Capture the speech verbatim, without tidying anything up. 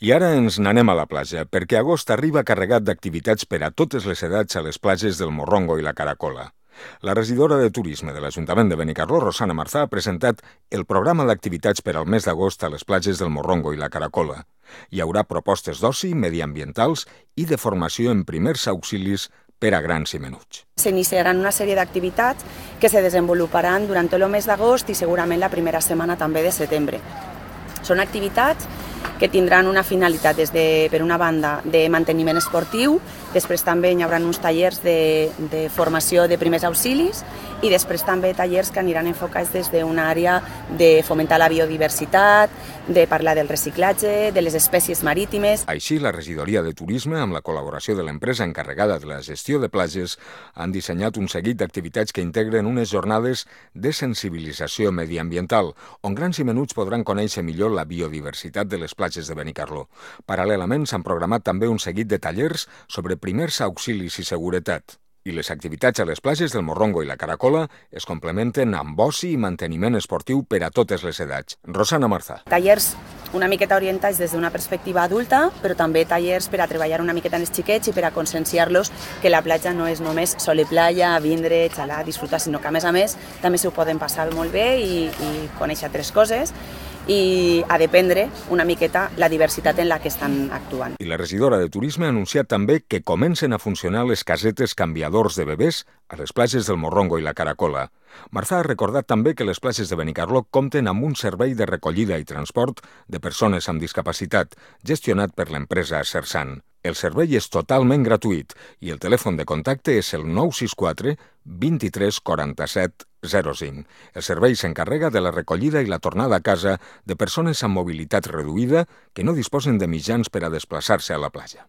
I ara ens n'anem a la platja, perquè agost arriba carregat d'activitats per a totes les edats a les platges del Morrongo i la Caracola. La regidora de Turisme de l'Ajuntament de Benicarló, Rosana Marzà, ha presentat el programa d'activitats per al mes d'agost a les platges del Morrongo i la Caracola. Hi haurà propostes d'oci, mediambientals i de formació en primers auxilis per a grans i menuts. S'iniciaran una sèrie d'activitats que se desenvoluparan durant tot el mes d'agost i segurament la primera setmana també de setembre. Són activitats que tindran una finalitat des de, per una banda, de manteniment esportiu, després també hi haurà uns tallers de, de formació de primers auxilis i després també tallers que aniran enfocats des d'una àrea de fomentar la biodiversitat, de parlar del reciclatge, de les espècies marítimes. Així, la regidoria de Turisme, amb la col·laboració de l'empresa encarregada de la gestió de platges, han dissenyat un seguit d'activitats que integren unes jornades de sensibilització mediambiental, on grans i menuts podran conèixer millor la biodiversitat de les platges de Benicarló. Paral·lelament, s'han programat també un seguit de tallers sobre primers auxilis i seguretat. I les activitats a les platges del Morrongo i la Caracola es complementen amb oci i manteniment esportiu per a totes les edats. Rosana Marzà. Tallers una miqueta orientats des d'una perspectiva adulta, però també tallers per a treballar una miqueta amb els xiquets i per a conscienciar-los que la platja no és només sol i playa, vindre, xalar, disfrutar, sinó que a més a més també s'ho poden passar molt bé i, i conèixer altres coses i a dependre una miqueta la diversitat en la que estan actuant. I la regidora de Turisme ha anunciat també que comencen a funcionar les casetes canviadors de bebès a les platges del Morrongo i la Caracola. Marzà ha recordat també que les platges de Benicarló compten amb un servei de recollida i transport de persones amb discapacitat, gestionat per l'empresa Sersan. El servei és totalment gratuït i el telèfon de contacte és el nou sis quatre vint-i-tres quaranta-set zero cinc. El servei s'encarrega de la recollida i la tornada a casa de persones amb mobilitat reduïda que no disposen de mitjans per a desplaçar-se a la platja.